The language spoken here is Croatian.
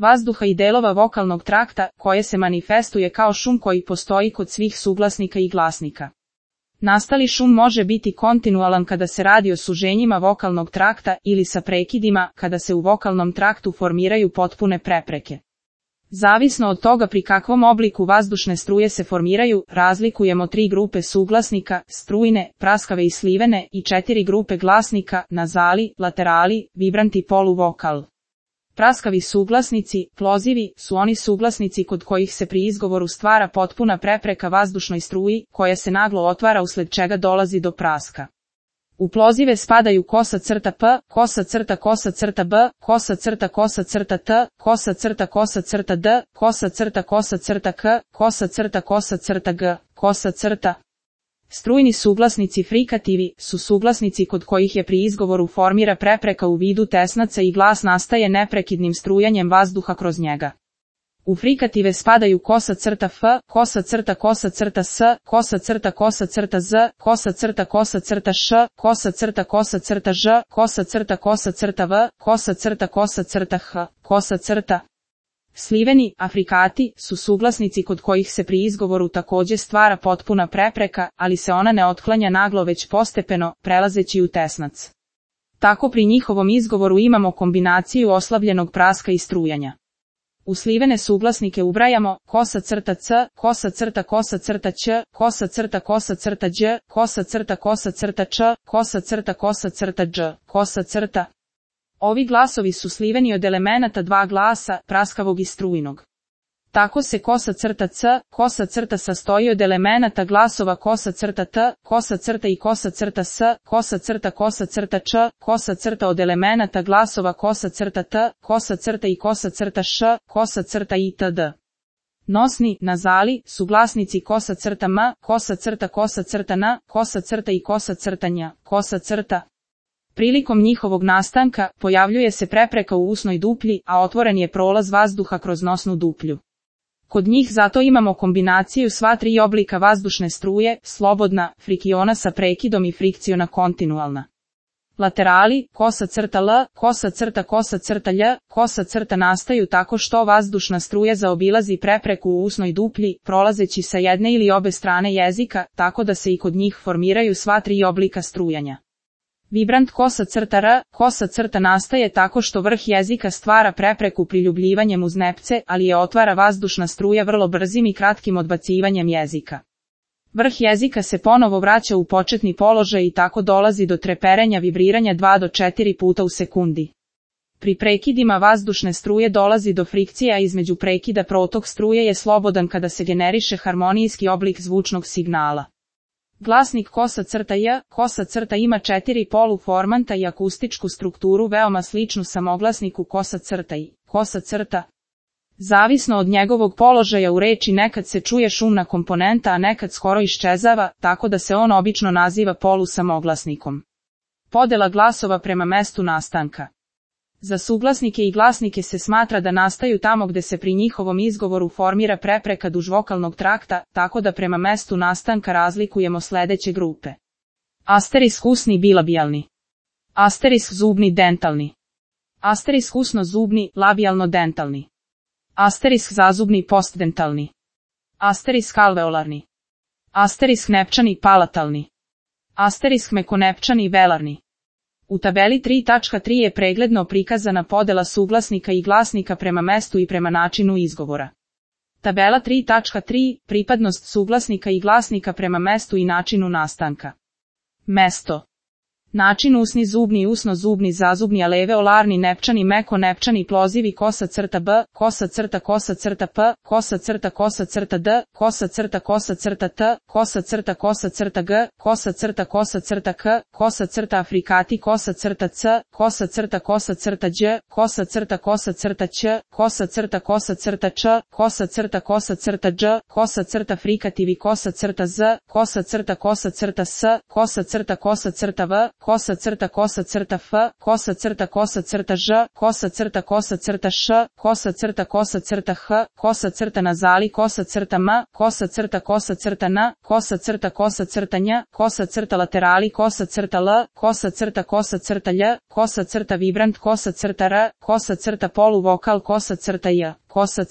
vazduha i delova vokalnog trakta, koje se manifestuje kao šum koji postoji kod svih suglasnika i glasnika. Nastali šum može biti kontinualan kada se radi o suženjima vokalnog trakta ili sa prekidima kada se u vokalnom traktu formiraju potpune prepreke. Zavisno od toga pri kakvom obliku vazdušne struje se formiraju, razlikujemo 3 grupe suglasnika, strujne, praskave i slivene, i 4 grupe glasnika, nazali, laterali, vibranti i poluvokal. Praskavi suglasnici, plozivi, su oni suglasnici kod kojih se pri izgovoru stvara potpuna prepreka vazdušnoj struji, koja se naglo otvara usled čega dolazi do praska. U plozive spadaju kosa crta P, kosa crta B, kosa crta T, kosa crta D, kosa crta K, kosa crta G, kosa crta. Strujni suglasnici frikativi su suglasnici kod kojih je pri izgovoru formira prepreka u vidu tesnaca i glas nastaje neprekidnim strujanjem vazduha kroz njega. U frikative spadaju kosa crta F, kosa crta S, kosa crta Z, kosa crta Š, kosa crta Ž, kosa crta V, kosa crta H, kosa crta. Sliveni, afrikati, su suglasnici kod kojih se pri izgovoru takođe stvara potpuna prepreka, ali se ona ne otklanja naglo već postepeno, prelazeći u tesnac. Tako pri njihovom izgovoru imamo kombinaciju oslabljenog praska i strujanja. U slivene suglasnike ubrajamo kosa crta C, kosa crta Ć, kosa crta Đ, kosa crta Č, kosa crta Đ, kosa crta. Ovi glasovi su sliveni od elemenata 2 glasa, praskavog i strujnog. Tako se kosa crta C, kosa crta sastoji od elemenata glasova kosa crta T, kosa crta i kosa crta S, kosa crta Č, kosa crta od elemenata glasova kosa crta T, kosa crta i kosa crta Š, kosa crta itd. Nosni, nazali, su glasnici kosa crta M, kosa crta N, kosa crta i kosa crta Nj, kosa crta. Prilikom njihovog nastanka, pojavljuje se prepreka u usnoj duplji, a otvoren je prolaz vazduha kroz nosnu duplju. Kod njih zato imamo kombinaciju sva 3 oblika vazdušne struje, slobodna, frikiona sa prekidom i frikciona kontinualna. Laterali, kosa crta L, kosa crta Lj, kosa crta nastaju tako što vazdušna struja zaobilazi prepreku u usnoj duplji, prolazeći sa jedne ili obe strane jezika, tako da se i kod njih formiraju sva 3 oblika strujanja. Vibrant kosa crta R, kosa crta nastaje tako što vrh jezika stvara prepreku priljubljivanjem uz nepce, ali je otvara vazdušna struja vrlo brzim i kratkim odbacivanjem jezika. Vrh jezika se ponovo vraća u početni položaj i tako dolazi do treperenja vibriranja 2 do 4 puta u sekundi. Pri prekidima vazdušne struje dolazi do frikcije, a između prekida protok struje je slobodan kada se generiše harmonijski oblik zvučnog signala. Glasnik kosa crta J, kosa crta ima 4 poluformanta i akustičku strukturu veoma sličnu samoglasniku kosa crta I, kosa crta. Zavisno od njegovog položaja u reči nekad se čuje šumna komponenta, a nekad skoro iščezava, tako da se on obično naziva polusamoglasnikom. Podela glasova prema mestu nastanka. Za suglasnike i glasnike se smatra da nastaju tamo gde se pri njihovom izgovoru formira prepreka duž vokalnog trakta, tako da prema mestu nastanka razlikujemo sledeće grupe. Asterisk usni bilabijalni. Asterisk zubni dentalni. Asterisk usno-zubni labijalno-dentalni. Asterisk zazubni postdentalni. Asterisk alveolarni. Asterisk nepčani palatalni. Asterisk mekonepčani velarni. U tabeli 3.3 je pregledno prikazana podela suglasnika i glasnika prema mestu i prema načinu izgovora. Tabela 3.3 pripadnost suglasnika i glasnika prema mestu i načinu nastanka. Mesto. Način usni zubni, usno-zubni, zazubni, alveolarni, nepčani, meko-nepčani, plozivi, kosa crta B, kosa crta P, kosa crta D, kosa crta T, kosa crta G, kosa crta K, kosa crta afrikati, kosa crta C, kosa crta Đ, kosa crta Ć, kosa crta Č, kosa crta Đ, kosa crta frikativi, kosa crta Z, kosa crta S, kosa crta V, kosa crta f, kosa crta ž, kosa crta š, kosa crta h, kosa nazali, kosa crta m, kosa crta n, kosa crta nj, kosa laterali, kosa crta l, kosa crta lj, kosa vibrant, kosa r, kosa poluvokal, kosa j, kosa